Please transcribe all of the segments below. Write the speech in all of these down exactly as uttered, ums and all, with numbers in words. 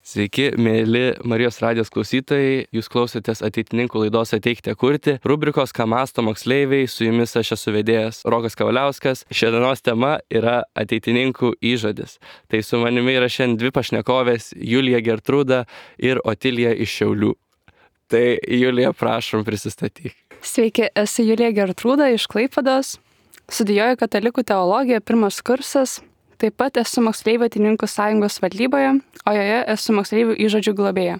Sveiki, mėly Marijos radijos klausytojai, jūs klausotės ateitininkų laidos Ateikite kurti, rubrikos Ką mąsto moksleiviai, su jumis aš esu vedėjas Rokas Kavaliauskas. Šiandienos tema yra ateitininkų įžodis. Tai su manimi yra šiandien dvi pašnekovės, Julija Gertrūda ir Otilija iš Šiaulių. Tai Julija, prašom, prisistatyk. Sveiki, esu Julija Gertrūda iš Klaipėdos, studijuoju katalikų teologiją, pirmas kursas. Taip pat esu moksleivių ateitininkų sąjungos valdyboje, o joje esu moksleivių įžodžių globėja.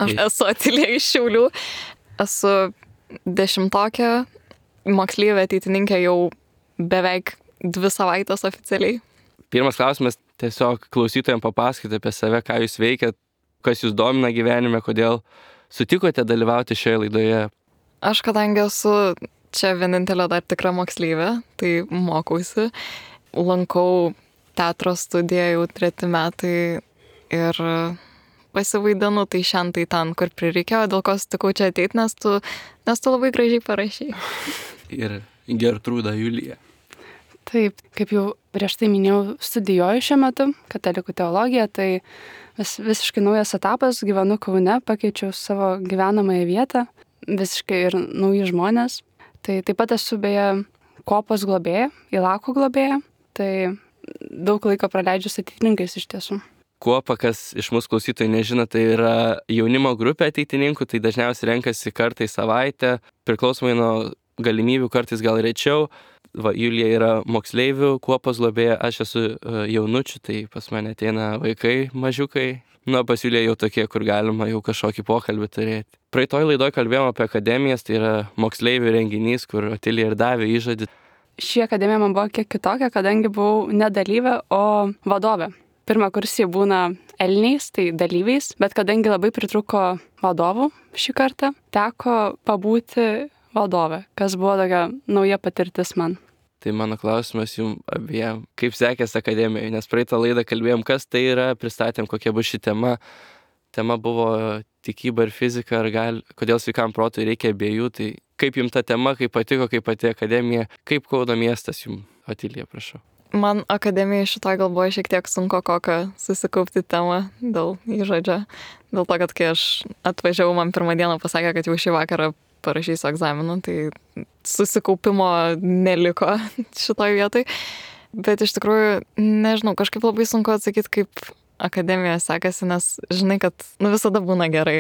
Aš esu Otilija iš Šiaulių, esu dešimtokė, moksleivė ateitininkė jau beveik dvi savaitės oficialiai. Pirmas klausimas, tiesiog klausytojams papasakoti apie save, ką jūs veikiat, kas jūs domina gyvenime, kodėl sutikote dalyvauti šioje laidoje. Aš kadangi esu čia vienintelė dar tikra moksleivė, tai mokausi, lankau teatro studiją jau treti metai ir pasivaidinu tai šiandien tai ten, kur prireikėjo, dėl ko sutikau čia ateit, nes tu, nes tu labai gražiai parašei. Ir Gertrūda Julija. Taip, kaip jau prieš tai minėjau, studijuoju šiuo metu katalikų teologiją, tai vis, visiškai naujas etapas, gyvenu Kaune, pakeičiau savo gyvenamąją vietą, visiškai ir nauji žmonės. Tai taip pat esu beje kopos globėja, Ilako globėja, tai daug laiko praleidžiu su ateitininkais iš tiesų. Kuopa, kas iš mūsų klausytojų nežino, tai yra jaunimo grupė ateitininkų, tai dažniausiai renkasi kartą į savaitę, priklausomai nuo galimybių, kartais gal rečiau. Va, Julija yra moksleivių, kuopos globėja, aš esu jaunučių, tai pas mane ateina vaikai, mažiukai. Nu, pas Juliją jau tokie, kur galima jau kažkokį pokalbį turėti. Praeitoj laidoj kalbėjom apie akademijas, tai yra moksleivių renginys, kur Otilija ir davė įžodį. Ši akademija man buvo kiek kitokia, kadangi buvau ne dalyvė, o vadovė. Pirmą kursį būna elniais, tai dalyviais, bet kadangi labai pritruko vadovų šį kartą, teko pabūti vadovė, kas buvo tokia nauja patirtis man. Tai mano klausimas jums abiem, kaip sekėsi akademijoje, nes praeitą laidą kalbėjom, kas tai yra, pristatėm, kokia bus ši tema. Tema buvo tikyba ir fizika, ar gal, kodėl sveikam protui reikia abiejų, tai kaip jums ta tema, kaip patiko, kaip pati akademija, kaip Kauno miestas jums, Otilija, prašau. Man akademija šitoj gal buvo šiek tiek sunku kokią susikaupti temą dėl įžodžio. Dėl to, kad kai aš atvažiavau, man pirmą dieną pasakė, kad jau šį vakarą parašysiu egzaminą, tai susikaupimo neliko šitoj vietoj. Bet iš tikrųjų, nežinau, kažkaip labai sunku atsakyti, kaip akademija sekasi, nes žinai, kad nu, visada būna gerai.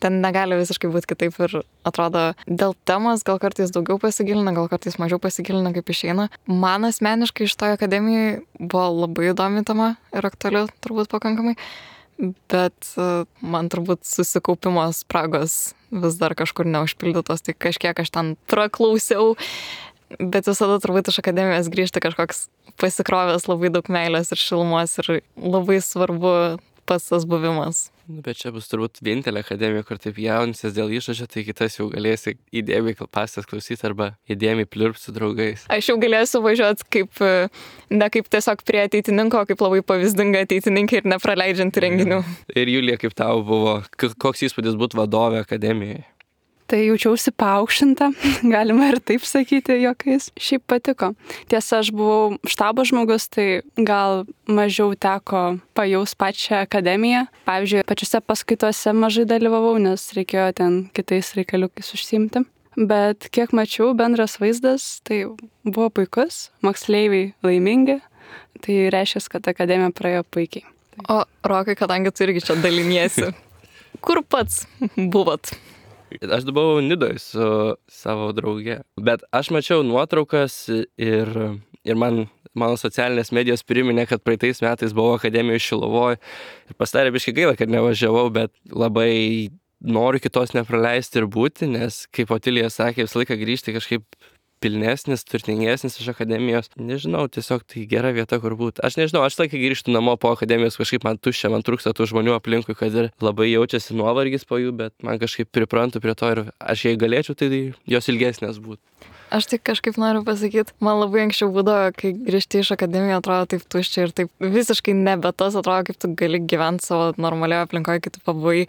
Ten negali visiškai būti kitaip ir atrodo, dėl temos gal kartais daugiau pasigilina, gal kartais mažiau pasigilina, kaip išeina. Man asmeniškai iš toje akademijoje buvo labai įdomi tema ir aktuali turbūt pakankamai, bet man turbūt susikaupimo spragos vis dar kažkur neužpildytos, tai kažkiek aš ten praklausiau. Bet visada turbūt iš akademijos grįžti kažkoks pasikrovęs labai daug meilės ir šilumos ir labai svarbu pats tas buvimas. Nu, bet čia bus turbūt vienintelė akademija, kur taip jaunsis dėl įžodžio, tai kitas jau galėsi įdėmiai pastas klausyti arba įdėmiai pliurpti su draugais. Aš jau galėsiu važiuoti kaip, ne kaip tiesiog prie ateitininko, kaip labai pavyzdinga ateitininkė ir nepraleidžianti renginių. Ir Julija, kaip tau buvo, koks įspūdis būti vadovė akademijoje? Tai jaučiausi paaukštinta, galima ir taip sakyti juokais. Šiaip patiko. Tiesa, aš buvau štabo žmogus, tai gal mažiau teko pajaus pačią akademiją. Pavyzdžiui, pačiuose paskaituose mažai dalyvavau, nes reikėjo ten kitais reikaliukais užsiimti. Bet kiek mačiau, bendras vaizdas, tai buvo puikus, moksleiviai laimingi, tai reiškia, kad akademija praėjo puikiai. O Rokai, kadangi tu irgi čia daliniesi, kur pats buvot? Aš buvau Nidoj su savo drauge, bet aš mačiau nuotraukas ir, ir man, mano socialinės medijos priminė, kad praeitais metais buvau akademijoje Šilovoje ir pasidarė biškai gaila, kad nevažiavau, bet labai noriu kitos nepraleisti ir būti, nes, kaip Otilija sakė, visą laiką grįžti kažkaip pilnesnis, turtingesnis iš akademijos. Nežinau, tiesiog tai gera vieta, kur būti. Aš nežinau, aš laiką grįžtu namo po akademijos, kažkaip man tuščia, man trūksta tų žmonių aplinkui, kad ir labai jaučiasi nuovargis po jų, bet man kažkaip priprantu prie to ir aš jei galėčiau, tai jos ilgesnės būtų. Aš tik kažkaip noriu pasakyti, man labai anksčiau būdavo, kai grįžti iš akademijos, atrodo taip tuščia ir taip visiškai nebe tas, atrodo, kaip tu gali gyventi savo normalioje aplinkoje, kai tu pabuvai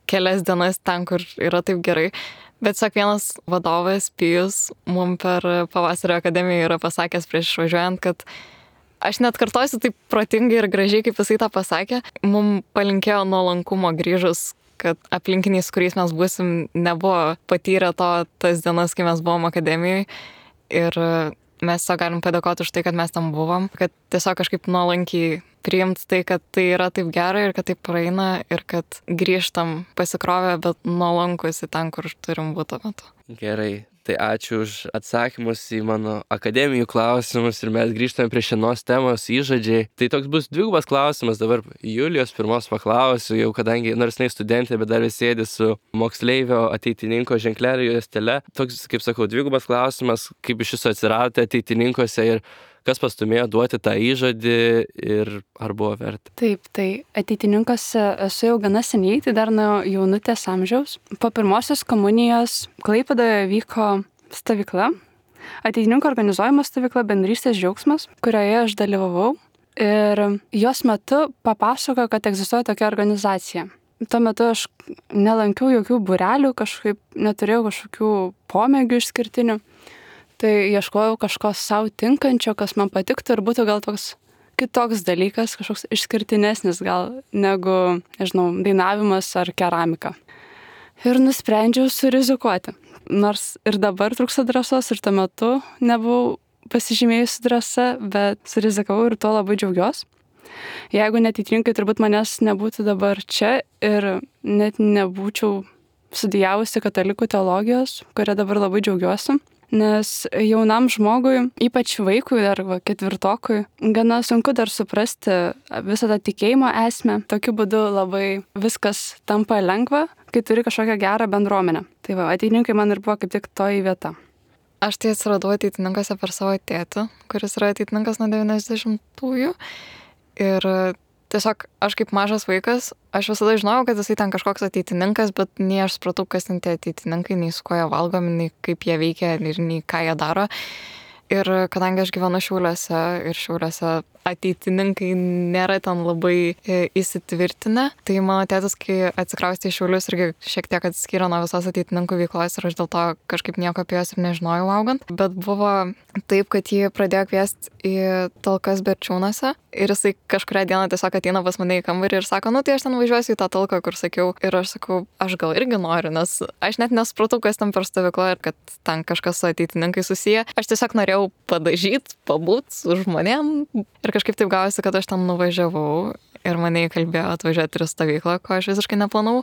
kelias dienas ten, kur yra taip gerai. Bet sak vienas vadovas Pijus mum per pavasario akademiją yra pasakęs prieš išvažiuojant, kad aš net kartosiu taip protingai ir gražiai, kaip jisai tą pasakė. Mums palinkėjo nuolankumo grįžus, kad aplinkiniai, su kuriais mes būsim, nebuvo patyrę to tas dienas, kai mes buvom akademijoje. Ir mes tiesiog galim padėkoti už tai, kad mes tam buvom, kad tiesiog kažkaip nuolankiai priimti tai, kad tai yra taip gerai ir kad tai praeina ir kad grįžtam pasikrovę, bet nuolankus į ten, kur turim būti tuo metu. Gerai, tai ačiū už atsakymus į mano akademijų klausimus ir mes grįžtame prie šiandienos temos įžadžiai. Tai toks bus dvigubas klausimas, dabar Julijos pirmos paklausiu, jau kadangi nors jinai studentė, bet dar vis sėdi su moksleivio ateitininko ženklelio juostele. Toks, kaip sakau, dvigubas klausimas, kaip iš viso atsiradote ateitininkuose ir kas pastumėjo duoti tą įžadį ir ar buvo verta? Taip, tai ateitininkose esu jau gana seniai, tai dar nuo jaunutės amžiaus. Po pirmosios komunijos Klaipėdoje vyko stovykla, ateitininko organizuojama stovykla Bendrystės džiaugsmas, kurioje aš dalyvavau ir jos metu papasakojo, kad egzistuoja tokia organizacija. Tuo metu aš nelankiau jokių būrelių, kažkaip neturėjau kažkokių pomėgių išskirtinių. Tai ieškojau kažko savo tinkančio, kas man patiktų ir būtų gal toks kitoks dalykas, kažkoks išskirtinesnis gal negu, nežinau, dainavimas ar keramika. Ir nusprendžiau surizikuoti. Nors ir dabar trūksta drąsos ir tuo metu nebuvau pasižymėjusi drąsa, bet surizikavau ir tuo labai džiaugiuosi. Jeigu neateitininkai, turbūt manęs nebūtų dabar čia ir net nebūčiau studijavusi katalikų teologijos, kurią dabar labai džiaugiuosi. Nes jaunam žmogui, ypač vaikui ar va, ketvirtokui, gana sunku dar suprasti visą tą tikėjimo esmę. Tokiu būdu labai viskas tampa lengva, kai turi kažkokią gerą bendruomenę. Tai va, ateitininkai man ir buvo kaip tik toji vieta. Aš tai atsiradau ateitininkose per savo tėtį, kuris yra ateitininkas nuo devyniasdešimtųjų. Ir tiesiog aš kaip mažas vaikas, aš visada žinojau, kad jisai ten kažkoks ateitininkas, bet nei aš supratau, kas ten tie ateitininkai, nei su kuo jie valgomi, nei kaip jie veikia ir nei ką jie daro. Ir kadangi aš gyvenu Šiauliuose ir Šiauliuose ateitininkai nėra ten labai įsitvirtinę, tai mano tėtis, kai atsikraustė į Šiaulius, irgi šiek tiek atsiskyrė nuo visos ateitininkų veiklos ir aš dėl to kažkaip nieko apie juos ir nežinojau augant. Bet buvo taip, kad jį pradėjo kviesti į talkas Berčiūnuose ir jisai kažkurią dieną tiesiog ateina pas mane į kambarį ir sako, nu tai aš ten važiuosiu į tą talką, kur sakiau. Ir aš sakau, aš gal irgi noriu, nes aš net nesupratau, kas ten per stovykla ir kad ten kažkas su ateitininkai susiję. Aš tiesiog norėjau padažyti, pabūt su žmonėm. Ir kažkaip taip gavosi, kad aš ten nuvažiavau ir mane įkalbėjo atvažiuoti ir stovyklą, ko aš visiškai neplanau.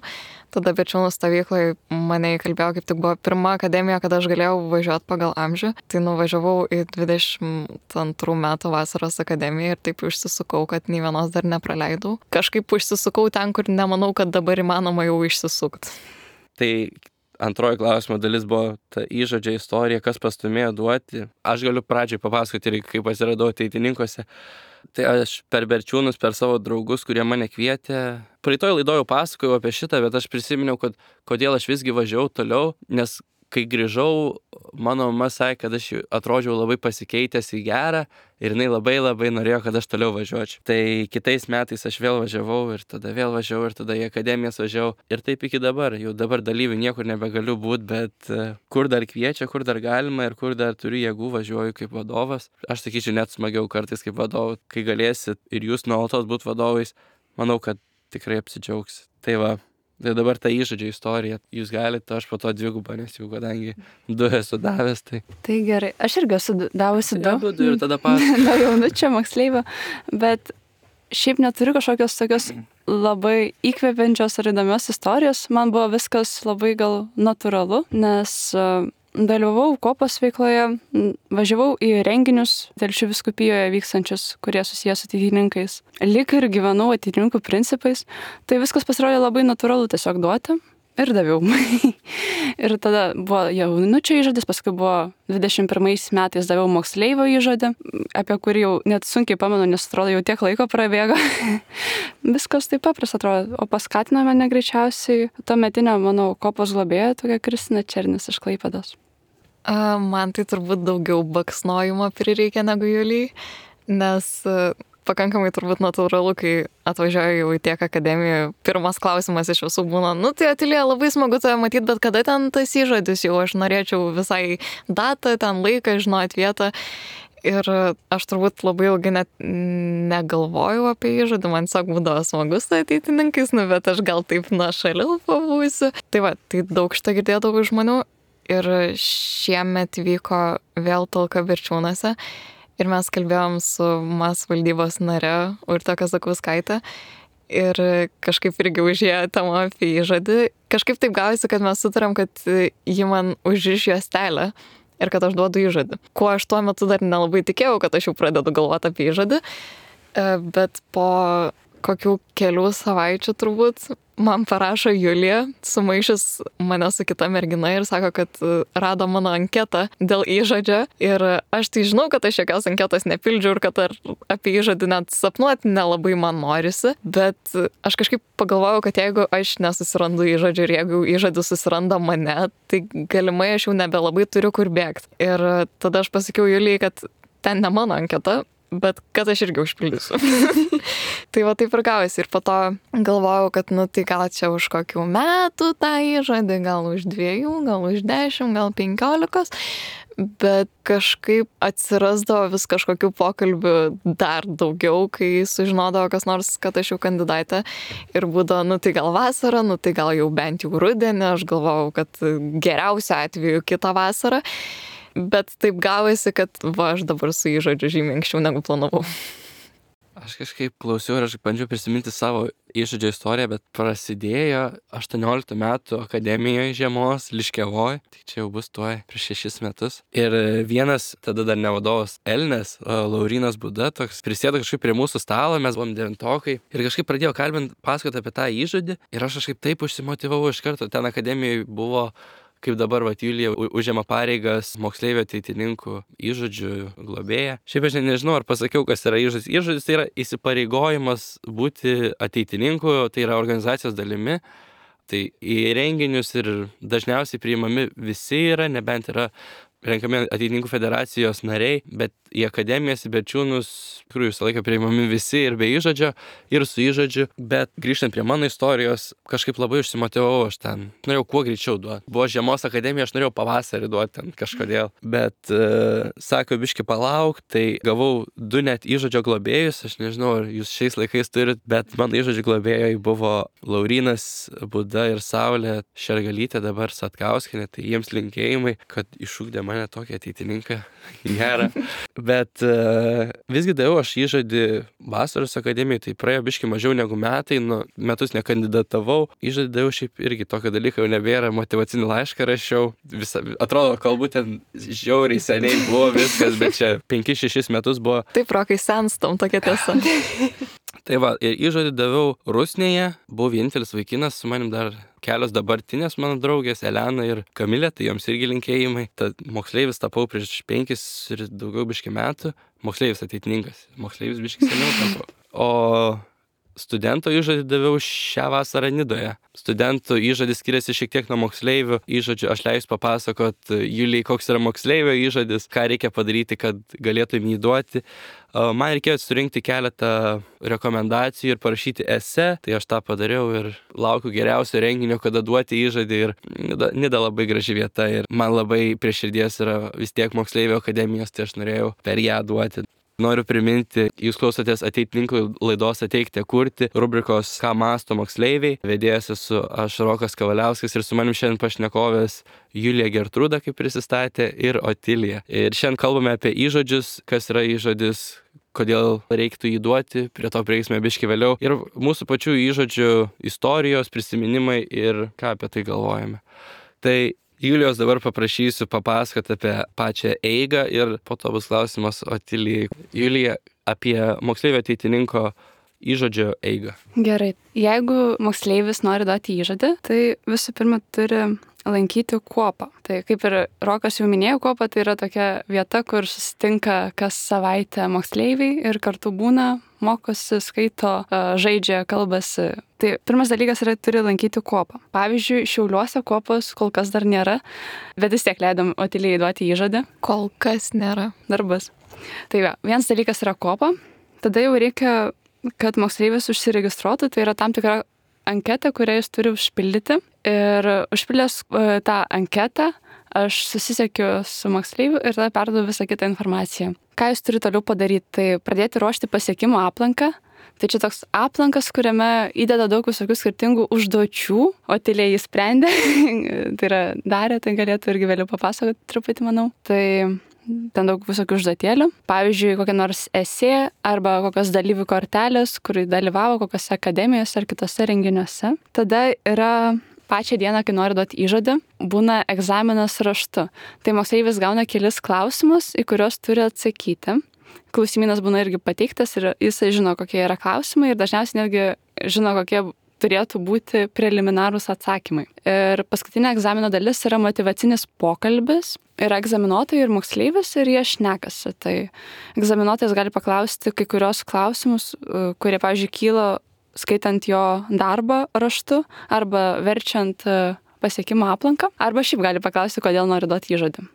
Tada Berčiūnų stovykloje mane įkalbėjo, kaip tik buvo pirma akademija, kada aš galėjau važiuoti pagal amžių. Tai nuvažiavau į dvidešimt antrų metų vasaros akademiją ir taip išsisukau, kad nei vienos dar nepraleidau. Kažkaip išsisukau ten, kur nemanau, kad dabar įmanoma jau išsisukti. Tai antroji klausimo dalis buvo ta įžodžio istorija, kas pastumėjo duoti. Aš galiu pradžiai papasakoti ir kaip atsiradau ateitininkuose. Tai aš per Berčiūnus, per savo draugus, kurie mane kvietė. Praeitoj laidoj jau pasakojau apie šitą, bet aš prisiminiau, kad kodėl aš visgi važiavau toliau, nes kai grįžau, mano mama sakė, kad aš atrodžiau labai pasikeitęs į gerą ir jinai labai labai norėjo, kad aš toliau važiuočiau. Tai kitais metais aš vėl važiavau ir tada vėl važiavau ir tada į akademijas važiavau. Ir taip iki dabar. Jau dabar dalyvių niekur nebegaliu būti, bet kur dar kviečia, kur dar galima ir kur dar turiu jėgų važiuoju kaip vadovas. Aš sakyčiau, net smagiau kartais kaip vadovas, kai galėsit ir jūs nuolatos būti vadovais. Manau, kad tikrai apsidžiaugsit. Tai va. Tai dabar ta įžodžio istorija, jūs galite, aš po to dvigubą, nes jau kadangi du esu davęs, tai... Tai gerai, aš irgi esu davusi du. Ja, du ir tada pasakosiu. Nuo jaunučio moksleivio, bet šiaip neturiu kažkokios tokios labai įkvepiančios ar įdomios istorijos. Man buvo viskas labai gal natūralu, nes dalyvavau kopos veikloje, važiavau į renginius Telšių vyskupijoje vykstančius, kurie susijęs su ateitininkais. Lyg ir gyvenau ateitininkų principais, tai viskas pasirodė labai natūralu tiesiog duoti ir daviau. Ir tada buvo jaunučio įžadis, paskui buvo dvidešimt pirmais metais daviau moksleivio įžadį, apie kurį jau net sunkiai pamenu, nes atrodo jau tiek laiko prabėgo. Viskas taip paprasta atrodo, o paskatino mane greičiausiai tuometinė mano kopos globėja, tokia Kristina Černis iš Klaipėdos. A, man tai turbūt daugiau baksnojimo prireikia negu Julijai, nes pakankamai turbūt natūralu, kai atvažiuoju jau į tiek akademiją, pirmas klausimas iš visų būna, nu tai Atilija, labai smagu tave matyti, bet kada ten tas įžadis jau, aš norėčiau visai datą, ten laiką, žinoti vietą. Ir aš turbūt labai ilgai net negalvojau apie įžadį, man tiesiog būdavo smagus su ateitininkais, nu, bet aš gal taip nuo šaliau pabūsiu. Tai va, tai daug šitą girdėdavau žmonių ir šiemet vyko vėl talka Berčiūnuose ir mes kalbėjom su M A S valdybos nare Urte Kazakauskaite ir kažkaip irgi užėjo tema apie įžadį. Kažkaip taip gavosi, kad mes sutarėm, kad ji man užriš juostelę ir kad aš duodu įžadį. Kuo aš tuo metu dar nelabai tikėjau, kad aš jau pradedu galvoti apie įžadį, bet po kokių kelių savaičių turbūt man parašo Julija, sumaišys mane su kita mergina ir sako, kad rado mano anketą dėl įžadžio ir aš tai žinau, kad aš jokios anketos nepildžiau ir kad ar apie įžadį net sapnuoti nelabai man norisi, bet aš kažkaip pagalvojau, kad jeigu aš nesusirandu įžadžio ir jeigu įžadis susiranda mane, tai galimai aš jau nebelabai turiu kur bėgti. Ir tada aš pasakiau Julijai, kad ten ne mano anketa, bet kad aš irgi užpildysiu. Tai va taip ir gavosi. Ir po to galvojau, kad nu tai gal čia už kokių metų tą įžadį, gal už dviejų, gal už dešimt, gal penkiolikos. Bet kažkaip atsirasdavo vis kažkokių pokalbių dar daugiau, kai sužinodavo kas nors, kad aš jau kandidatė. Ir būdavo, nu tai gal vasarą, nu tai gal jau bent jau rudenį. Aš galvojau, kad geriausiu atveju kitą vasarą. Bet taip gavosi, kad va, aš dabar su įžadžiu žymiai anksčiau negu planavau. Aš kažkaip klausiau ir aš bandžiau prisiminti savo įžadžio istoriją, bet prasidėjo aštuonioliktų metų akademijoje žiemos Liškiavoj, tai čia jau bus tuoj prieš šešis metus. Ir vienas, tada dar ne vadovas Elnes, Laurynas Buda, toks prisėdo kažkaip prie mūsų stalo, mes buvom devintokai ir kažkaip pradėjo kalbint, pasakoti apie tą įžadį ir aš kažkaip taip užsimotyvavau iš karto, ten akademijoje buvo kaip dabar vat Julija užima pareigas moksleivio ateitininkų įžadžių globėja. Šiaip aš nežinau, ar pasakiau, kas yra įžadis. Įžadis tai yra įsipareigojimas būti ateitininku, tai yra organizacijos dalimi. Tai į renginius ir dažniausiai priimami visi yra, nebent yra renkami ateitininkų federacijos nariai, bet į akademijas, į Berčiūnus, tikrųjų visą laiką priimami visi ir be įžadžio, ir su įžadžiu, bet grįžtant prie mano istorijos, kažkaip labai užsimotyvavau, aš ten norėjau kuo greičiau duoti. Buvo žiemos akademija, aš norėjau pavasarį duoti ten kažkodėl, bet uh, sako, biški palauk, tai gavau du net įžadžio globėjus, aš nežinau, ar jūs šiais laikais turit, bet mano įžadžio globėjai buvo Laurynas Buda ir Saulė Šergalytė, dabar Satkauskinė, tai jiems linkėjimai, kad išugdė mane tokį ateitininką gerą. Bet uh, visgi daviau aš įžadį vasaros akademijai, tai praėjo biški mažiau negu metai, nu, metus nekandidatavau. Įžadį daviau šiaip irgi tokio dalyko jau nebėra, motyvacinį laišką rašiau. Visa, atrodo, kalbu ten žiauriai seniai buvo viskas, bet čia penkis šešis metus buvo. Taip, rokai senstam, tokia tiesa. Tai va, ir įžadį daviau Rusnėje, buvau vienintelis vaikinas, su manim dar kelios dabartinės mano draugės, Elena ir Kamilė, tai joms irgi linkėjimai. Tad moksleivis tapau prieš penkis ir daugiau biški metų, moksleivis ateitininkas, moksleivis biški seniau tapau. O studento įžadį daviau šią vasarą Nidoje. Studentų įžadis skiriasi šiek tiek nuo moksleivių įžadžių. Aš leisiu papasakot Julijai, koks yra moksleivio įžadis, ką reikia padaryti, kad galėtum jį duoti. Man reikėjo surinkti keletą rekomendacijų ir parašyti esė, tai aš tą padariau ir laukiu geriausio renginio, kada duoti įžadį. Ir Nida, Nida labai graži vieta ir man labai prie širdies yra vis tiek moksleivio akademijos, tai aš norėjau per ją duoti. Noriu priminti, jūs klausotės ateitininkų laidos Ateikite kurti, rubrikos Ką mąsto moksleiviai. Vedėjas esu aš Rokas Kavaliauskas ir su manim šiandien pašnekovės Julija Gertrūda, kaip prisistatė, ir Otilija. Ir šiandien kalbame apie įžadžius, kas yra įžadis, kodėl reiktų jį duoti, prie to prieisime biški vėliau. Ir mūsų pačių įžadžių istorijos, prisiminimai ir ką apie tai galvojame. Tai Julijos dabar paprašysiu papasakoti apie pačią eigą ir po to bus klausimas Otilijai. Julija, apie moksleivio ateitininko įžadžio eigą. Gerai. Jeigu moksleivis nori duoti įžadį, tai visų pirma turi lankyti kuopą. Tai kaip ir Rokas jau minėjo, kuopa tai yra tokia vieta, kur susitinka kas savaitę moksleiviai ir kartu būna, mokosi, skaito, žaidžia, kalbasi. Tai pirmas dalykas yra turi lankyti kuopą. Pavyzdžiui, Šiauliuose kuopos kol kas dar nėra, bet vis tiek leidom Otilijai duoti įžadą. Kol kas nėra. Darbas. Tai va, vienas dalykas yra kuopa, tada jau reikia, kad moksleivis užsiregistruotų, tai yra tam tikra anketą, kurią jis turi užpildyti. Ir užpildęs tą anketą aš susisiekiu su moksleiviu ir tada perduodu visą kitą informaciją. Ką jūs turite toliau padaryti? Tai pradėti ruošti pasiekimų aplanką. Tai čia toks aplankas, kuriame įdeda daug visokių skirtingų užduočių, o tyliai jis sprendė, tai yra darė, tai galėtų irgi vėliau papasakoti truputį, manau. Tai ten daug visokių užduotėlių. Pavyzdžiui, kokia nors esė arba kokios dalyvių kortelės, kur dalyvavo kokiose akademijose ar kitose renginiuose. Tada yra pačią dieną, kai nori duoti įžodį, būna egzaminas raštu. Tai moksleivis gauna kelis klausimus, į kuriuos turi atsakyti. Klausimynas būna irgi pateiktas ir jisai žino, kokie yra klausimai ir dažniausiai netgi žino, kokie turėtų būti preliminarūs atsakymai. Ir paskutinė egzamino dalis yra motyvacinis pokalbis. Yra egzaminuotojai ir moksleivis ir jie šnekasi. Tai egzaminuotojas gali paklausti kai kurios klausimus, kurie, pavyzdžiui, kyla skaitant jo darbą raštu arba verčiant pasiekimo aplanką. Arba šiaip gali paklausti, kodėl nori duoti įžodį.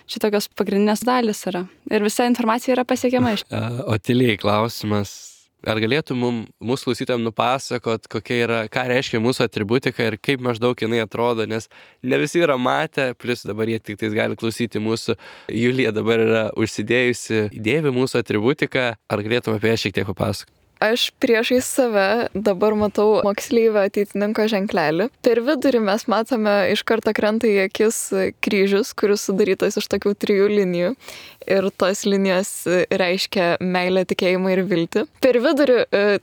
Šitokios pagrindinės dalis yra. Ir visa informacija yra pasiekiama iš. O tyliai klausimas, ar galėtų mum, mūsų klausytojams nupasakot, kokia yra, ką reiškia mūsų atributika ir kaip maždaug jinai atrodo, nes ne visi yra matę, plus dabar jie tik tais gali klausyti mūsų. Julija dabar yra užsidėjusi dėvi mūsų atributiką, ar galėtum apie ją šiek tiek papasakoti? Aš priešais save dabar matau moksleivio ateitininko ženklelį. Per vidurį mes matome iš karto krenta į akis kryžius, kuris sudarytas iš tokių trijų linijų. Ir tos linijos reiškia meilę, tikėjimą ir viltį. Per vidurį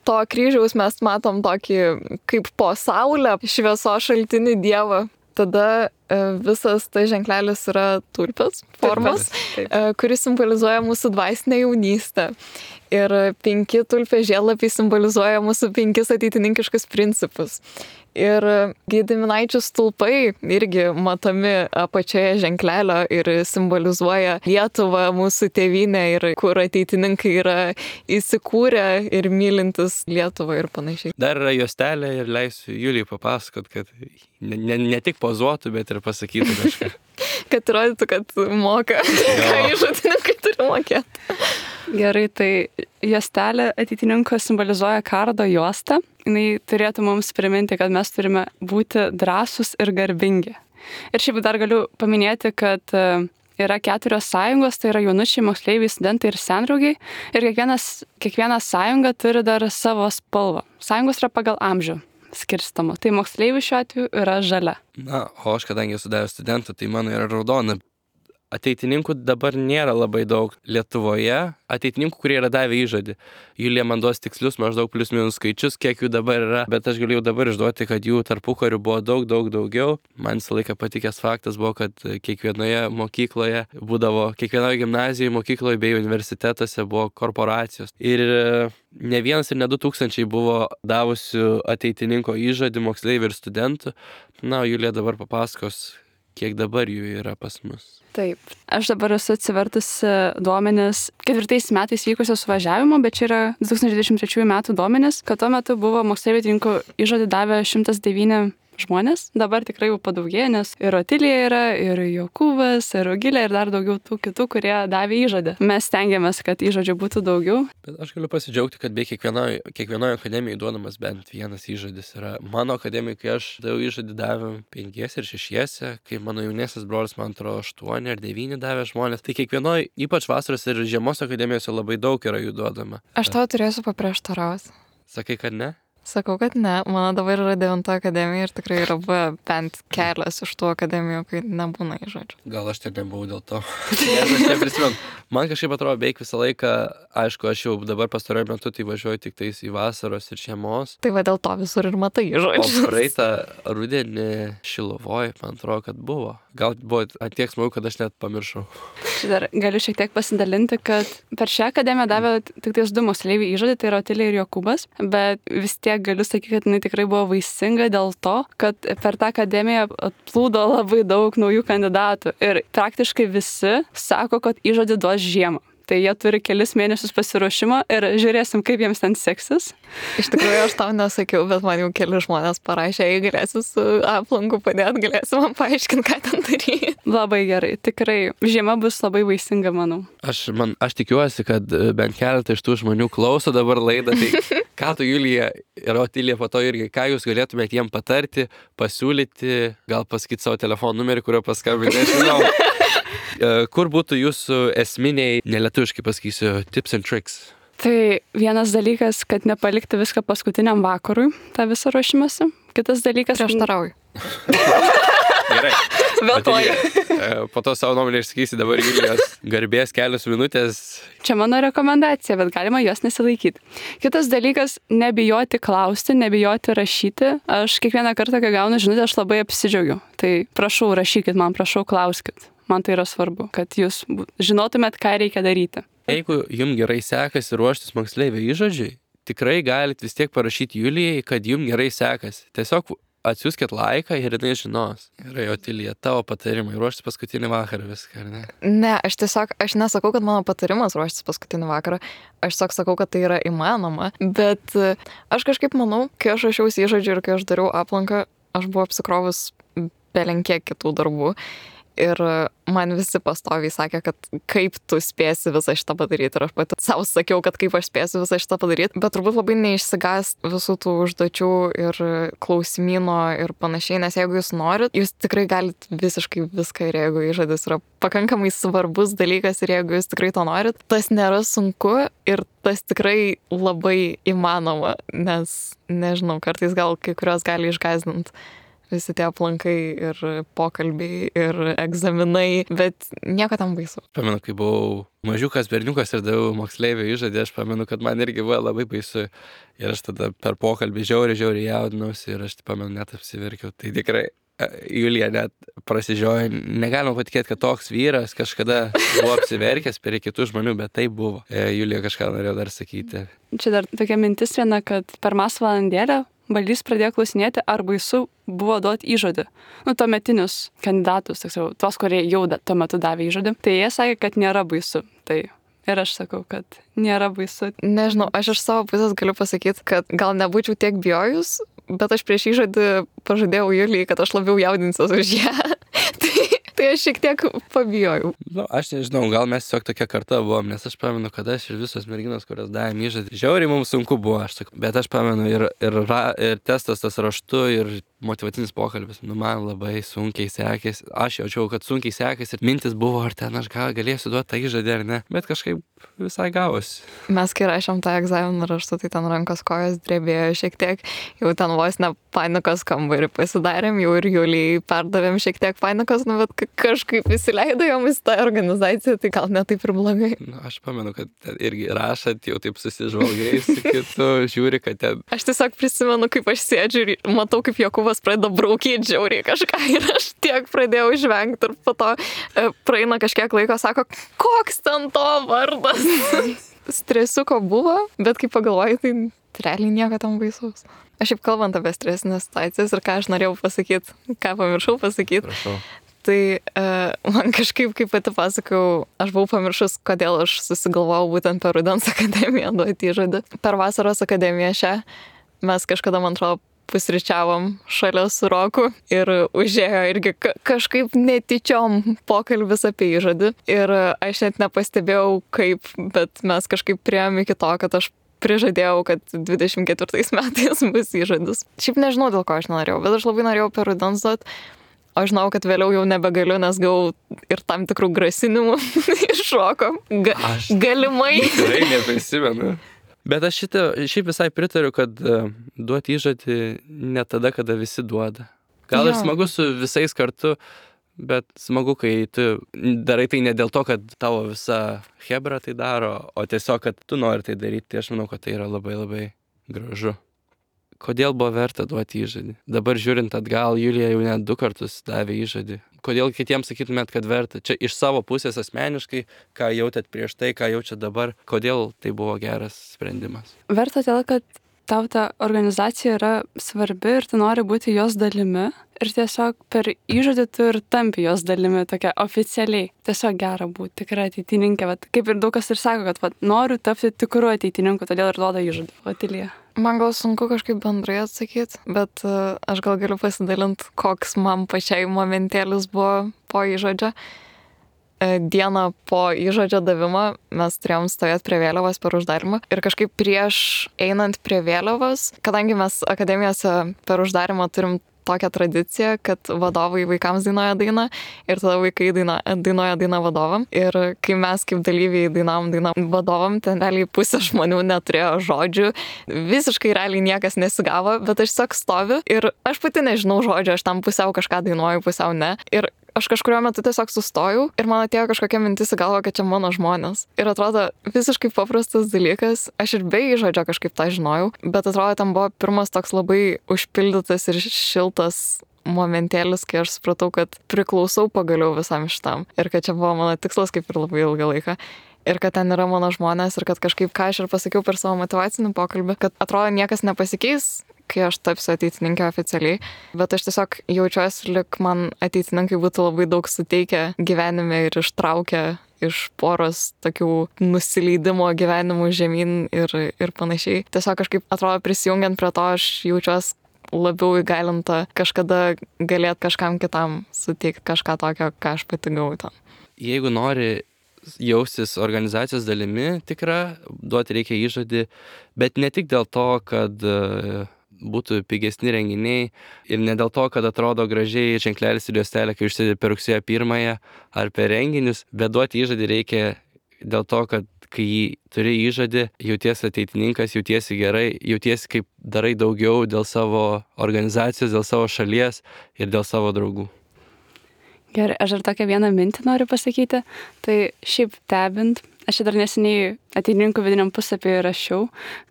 to kryžiaus mes matom tokį kaip po saulę šviesos šaltinį dievą. Tada visas tas ženklelis yra tulpės formos, kuris simbolizuoja mūsų dvasinę jaunystę. Ir penki tulpės žiedlapiai simbolizuoja mūsų penkis ateitininkiškus principus. Ir Gediminaičių stulpai irgi matomi apačioje ženklelio ir simbolizuoja Lietuvą, mūsų tėvynę ir kur ateitininkai yra įsikūrę ir mylintis Lietuvą ir panašiai. Dar yra juostelė ir leisiu Julijai papasakot, kad ne, ne, ne tik pozuotų, bet ir pasakytų kažką. Kad rodytų, kad moka, ką įžodininkai turi mokėti. Gerai, tai juostelė ateitininko simbolizuoja kardo juostą. Jis turėtų mums priminti, kad mes turime būti drąsūs ir garbingi. Ir šiaip dar galiu paminėti, kad yra keturios sąjungos, tai yra jaunučiai, moksleiviai, studentai ir sendraugiai. Ir kiekvienas, kiekviena sąjunga turi dar savo spalvą. Sąjungos yra pagal amžių skirstama. Tai moksleivių šiuo atveju yra žalia. Na, o aš kadangi esu davęs studentų, tai mano yra raudona. Ateitininkų dabar nėra labai daug Lietuvoje, ateitininkų, kurie yra davę įžodį. Julija man duos tikslius maždaug plius minus skaičius, kiek jų dabar yra, bet aš galiu jau dabar išduoti, kad jų tarpukariu buvo daug, daug daugiau. Man visą laiką patikęs faktas buvo, kad kiekvienoje mokykloje būdavo, kiekvienoje gimnazijoje, mokykloje bei universitetuose buvo korporacijos. Ir ne vienas ir ne du tūkstančiai buvo davusių ateitininko įžodį moksleivių ir studentų. Na, Julija dabar papasakos, kiek dabar jų yra pas mus. Taip. Aš dabar esu atsivertusi duomenis ketvirtais metais vykusio suvažiavimo, bet čia yra du tūkstančiai dvidešimt trečiųjų metų duomenis, kad tuo metu buvo moksleivininkų įžodį davę šimtas devyni žmonės. Dabar tikrai jau padaugėjo, nes ir Otilija yra, ir Jokūbas, ir Rugilė, ir dar daugiau tų kitų, kurie davė įžodį. Mes stengiamės, kad įžodžių būtų daugiau. Bet aš galiu pasidžiaugti, kad beveik kiekvienoje kiekvienoje akademijoje duodamas bent vienas įžodis yra. Mano akademijoje, kai aš daviau įžodį, davėm penkiese ir šešiese, kai mano jaunesnis brolis, man atrodo, aštuoni ar devyni davė žmonės. Tai kiekvienoje, ypač vasaros ir žiemos akademijose, labai daug yra jų duodama. Aš tau turėsiu paprieštarauti. Sakai, kad ne? Sakau, kad ne. Mano dabar yra devinta akademija ir tikrai yra bent kelias iš tų akademijų, kai nebūna įžodžių. Gal aš ten nebuvau dėl to. Nes aš neprisimenu. Man kažkaip atrodo beveik visą laiką, aišku, aš jau dabar pastaruoju metu tai važiuoju tik tais į vasaros ir žiemos. Tai va dėl to visur ir matai įžodžius. O praeitą rudenį Šiluvoj, man atrodo, kad buvo. Gal buvo atiek smagu, kad aš net pamiršau. Dar galiu šiek tiek pasidalinti, kad per šią akademiją davė tik tais du moksleiviai įžodį, tai yra Otilija ir Jokūbas, bet vis tiek galiu sakyti, kad jinai tikrai buvo vaisinga dėl to, kad per tą akademiją atplūdo labai daug naujų kandidatų ir praktiškai visi sako, kad įžodį duos žiemą. Tai jie turi kelis mėnesius pasiruošimo ir žiūrėsim, kaip jiems ten seksis. Iš tikrųjų, aš tau nesakiau, bet man jau keli žmonės parašė, jei galėsiu su aplanku padėti, galėsi man paaiškinti, ką ten daryti. Labai gerai, tikrai žiema bus labai vaisinga, manau. Aš, man, aš tikiuosi, kad bent keletą iš tų žmonių klauso dabar laidą, tai Ką tu, Julija ir Otilija, po to irgi, ką jūs galėtumėte jiem patarti, pasiūlyti, gal pasakyti savo telefonų numerį, kurio paskambinti, nežinau. Kur būtų jūsų esminiai, nelietuviškai pasakysiu, tips and tricks? Tai vienas dalykas, kad nepalikti viską paskutiniam vakarui, tą visą ruošimąsi. Kitas dalykas... Prieštarauju. Gerai. Vėltoju. Po to savo nuomonę išsakysi dabar Julijos garbės kelios minutės. Čia mano rekomendacija, bet galima jos nesilaikyti. Kitas dalykas, nebijoti klausti, nebijoti rašyti. Aš kiekvieną kartą, kai gaunu žinutę, aš labai apsidžiaugiu. Tai prašau, rašykit man, prašau, klauskit. Man tai yra svarbu, kad jūs žinotumėt, ką reikia daryti. Jeigu jums gerai sekasi ruoštis moksleivio įžodžiui, tikrai galite vis tiek parašyti Julijai, kad jums gerai sekasi. Tiesiog atsiųskit laiką ir jinai žinos. Gerai, Otilija, tavo patarimai ruoštis paskutinį vakarą viską, ar ne? Ne, aš tiesiog, aš nesakau, kad mano patarimas ruoštis paskutinį vakarą. Aš tiesiog sakau, kad tai yra įmanoma. Bet aš kažkaip manau, kai aš rašiausi įžodžiu ir kai aš dariau aplanką, aš buvau apsikrovus belenkiek kitų darbų. Ir man visi pastoviai sakė, kad kaip tu spėsi visą šitą padaryti. Ir aš pati savo sakiau, kad kaip aš spėsiu visą šitą padaryti. Bet turbūt labai neišsigąs visų tų užduočių ir klausimyno ir panašiai. Nes jeigu jūs norit, jūs tikrai galit visiškai viską. Ir jeigu įžodis yra pakankamai svarbus dalykas ir jeigu jūs tikrai to norit, tas nėra sunku ir tas tikrai labai įmanoma. Nes, nežinau, kartais gal kai kurios gali išgąsdinti. Visi tie aplankai ir pokalbiai ir egzaminai, bet nieko tam baisu. Pamenu, kai buvau mažiukas berniukas ir daviau moksleivio įžodį, aš pamenu, kad man irgi buvo labai baisu. Ir aš tada per pokalbį žiauriai, žiauriai jaudinausi ir aš pamenu, net apsiverkiau. Tai tikrai Julija net prasižiojo. Negalima patikėti, kad toks vyras kažkada buvo apsiverkęs prie kitų žmonių, bet tai buvo. Julija kažką norėjo dar sakyti. Čia dar tokia mintis viena, kad per mas valandėlę Balys pradėjo klausinėti, ar baisu buvo duoti įžodį. Nu, tuometinius kandidatus, tiksliau, tuos, kurie jau da, tuo metu davė įžodį. Tai jie sakė, kad nėra baisu. Tai ir aš sakau, kad nėra baisu. Nežinau, aš iš savo pusės galiu pasakyti, kad gal nebūčiau tiek bijojus, bet aš prieš įžodį pažadėjau Julijai, kad aš labiau jaudinsiuos už ją. tai, tai aš šiek tiek pabijojau. Nu, aš nežinau, gal mes tiesiog tokia karta buvom, nes aš pamenu, kad aš ir visos merginos, kurios davėm įžodį, žiauriai mums sunku buvo, aš sakau, bet aš pamenu ir, ir, ra, ir testas tas raštu, ir motyvacinis pokalbis, nu man labai sunkiai sekėsi, aš jaučiau, kad sunkiai sekėsi ir mintis buvo, ar ten aš gal galėsiu duoti tą įžodį ar ne, bet kažkaip visai gavosi. Mes kai rašėm tą egzaminą raštu, tai ten rankos kojos drebėjo šiek tiek, jau ten vos ne panikos kambarį pasidarėm, jau ir Julijai perdavėm šiek tiek panikos, nu bet kažkaip įsileido jomis tą organizaciją, tai gal ne taip ir blogai. Nu, aš pamenu, kad ten irgi rašat, jau taip susižvalgai su kitu, žiūri, kad ten... Aš tiesiog prisimenu, kaip aš sėdžiu ir matau, kaip Jokūbas pradeda braukyti žiauriai kažką ir aš tiek pradėjau žvengti ir po to e, praeina kažkiek laiko, sako, koks ten to vardas. Stresiuko buvo, bet kai pagalvoju, tai realiai nieko tam baisaus. Aš šiaip kalbant apie stresinės situacijas ir ką aš norėjau pasakyti, ką pamiršau pasakyti. Prašau. Tai e, man kažkaip, kaip pati pasakau, aš buvau pamiršus, kodėl aš susigalvojau būtent per Rudens akademiją duoti įžodį. Per Vasaros akademiją šią mes kažkada, man atrodo, pusryčiavom šalia su Roku ir užėjo irgi ka- kažkaip netyčiom pokalbis apie įžodį. Ir aš net nepastebėjau kaip, bet mes kažkaip priėjom iki to, kad aš prižadėjau, kad dvidešimt ketvirtais metais bus įžodis. Šiaip nežinau, dėl ko aš nenorėjau, bet aš labai norėjau per Rudens duoti. O žinau, kad vėliau jau nebegaliu, nes gavau ir tam tikrų grasinimų iš Roko. Ga- Aš- galimai. Tikrai neprisimenu. Bet aš šitą, šiaip visai pritariu, kad uh, duoti įžodį ne tada, kada visi duoda. Gal ir Jo. smagu su visais kartu, bet smagu, kai tu darai tai ne dėl to, kad tavo visa hebra tai daro, o tiesiog, kad tu nori tai daryti. Tai aš manau, kad tai yra labai labai gražu. Kodėl buvo verta duoti įžodį? Dabar žiūrint atgal, Julija jau net du kartus davė įžodį. Kodėl kitiems sakytumėt, kad verta? Čia iš savo pusės asmeniškai, ką jautėt prieš tai, ką jaučiat dabar, kodėl tai buvo geras sprendimas? Verta todėl, kad tau ta organizacija yra svarbi ir tu nori būti jos dalimi. Ir tiesiog per įžodį tu ir tampi jos dalimi tokia oficialiai. Tiesiog gera būti tikra ateitininkė. Vat, kaip ir daug kas ir sako, kad vat, noriu tapti tikru ateitininku, todėl ir duoda įžodį. Otilija. Man gal sunku kažkaip bendrai atsakyti, bet uh, aš gal galiu pasidalinti, koks man pačiai momentėlis buvo po įžodžio. dieną po įžodžio davimo mes turėjom stovėti prie vėliavos per uždarimą ir kažkaip prieš einant prie vėliavos, kadangi mes akademijose per uždarimą turim tokią tradiciją, kad vadovai vaikams dainuoja dainą ir tada vaikai daina, dainuoja dainą vadovam. Ir kai mes kaip dalyviai dainavom dainą vadovam, ten realiai pusė žmonių neturėjo žodžių, visiškai realiai niekas nesigavo, bet aš tiesiog stoviu ir aš pati nežinau žodžio, aš tam pusiau kažką dainuoju, pusiau ne. Ir aš kažkurio metu tiesiog sustojau ir man atėjo kažkokia mintis į galvą, kad čia mano žmonės. Ir atrodo visiškai paprastas dalykas, aš ir be įžodžio kažkaip tą žinojau, bet atrodo ten buvo pirmas toks labai užpildytas ir šiltas momentėlis, kai aš supratau, kad priklausau pagaliau visam šitam. Ir kad čia buvo mano tikslas kaip ir labai ilgą laiką. Ir kad ten yra mano žmonės ir kad kažkaip, ką aš ir pasakiau per savo motyvacinį pokalbį, kad atrodo niekas nepasikeis, kai aš tapsiu ateitininkė oficialiai, bet aš tiesiog jaučiuosi, lyg man ateitininkai būtų labai daug suteikę gyvenime ir ištraukę iš poros tokių nusileidimo gyvenimų žemyn ir, ir panašiai. Tiesiog kažkaip atrodo prisijungiant prie to, aš jaučiuosi labiau įgalinta kažkada galėt kažkam kitam suteikti kažką tokio, ką aš pati gavau ten. Jeigu nori jaustis organizacijos dalimi tikra, duoti reikia įžodį, bet ne tik dėl to, kad būtų pigesni renginiai ir ne dėl to, kad atrodo gražiai ženklelis ir juostelė, kai užsidedi per rugsėjo pirmąją ar per renginius, bet duoti įžodį reikia dėl to, kad kai turi įžodį, jautiesi ateitininkas, jautiesi gerai, jautiesi kaip darai daugiau dėl savo organizacijos, dėl savo šalies ir dėl savo draugų. Gerai, aš dar tokią vieną mintį noriu pasakyti. Tai šiaip stebint, aš čia dar neseniai ateitininkų vidiniam puslapyje rašiau,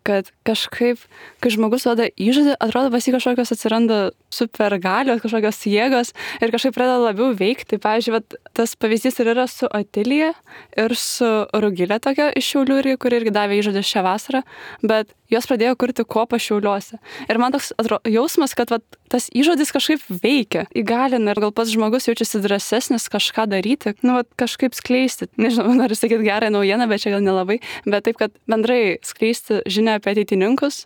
kad kažkaip, kai žmogus duoda įžodį, atrodo pas jį kažkokios atsiranda supergalios, kažkokios jėgos ir kažkaip pradeda labiau veikti. Pavyzdžiui, vat, tas pavyzdys ir yra su Otilija ir su Rugilė tokia iš Šiaulių, kuri irgi davė įžodį šią vasarą, bet jos pradėjo kurti kopą Šiauliuose. Ir man toks atro, jausmas, kad vat, tas įžodis kažkaip veikia, įgalina ir gal pats žmogus jaučiasi drąsesnis kažką daryti, nu, vat, kažkaip skleisti. Nežinau, noriu sakyti gerą naujieną, bet čia gal nelabai, bet taip, kad bendrai skleisti žinią apie ateitininkus,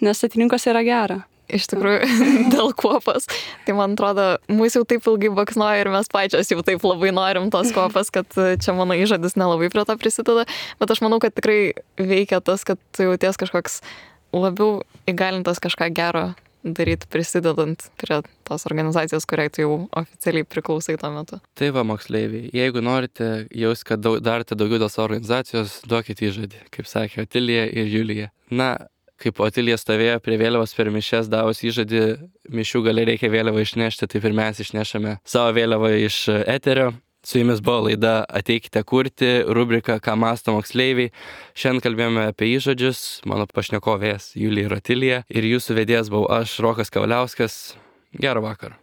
nes ateitininkas yra gera. Iš tikrųjų, dėl kopos. Tai man atrodo, mūsų jau taip ilgai baksnoja ir mes pačios jau taip labai norim tos kopas, kad čia mano įžadis nelabai prie to prisideda. Bet aš manau, kad tikrai veikia tas, kad tu jauties kažkoks labiau įgalintas kažką gero daryti, prisidedant prie tos organizacijos, kuriai tu jau oficialiai priklausai tuo metu. Tai va, moksleiviai, jeigu norite jaus, kad daug, darite daugiau dėl savo organizacijos, duokite įžodį, kaip sakė Otilija ir Julija. Na, kaip Otilija stovėjo prie vėliavos per mišias, davus įžodį, mišių gale reikia vėliavą išnešti, tai ir mes išnešame savo vėliavą iš eterio. Su jumis buvo laida Ateikite kurti, rubrika Ką mąsto moksleiviai. Šiandien kalbėjome apie įžodžius, mano pašnekovės Julija ir Otilija, ir jūsų vedėjas buvau aš, Rokas Kavaliauskas. Gero vakaro.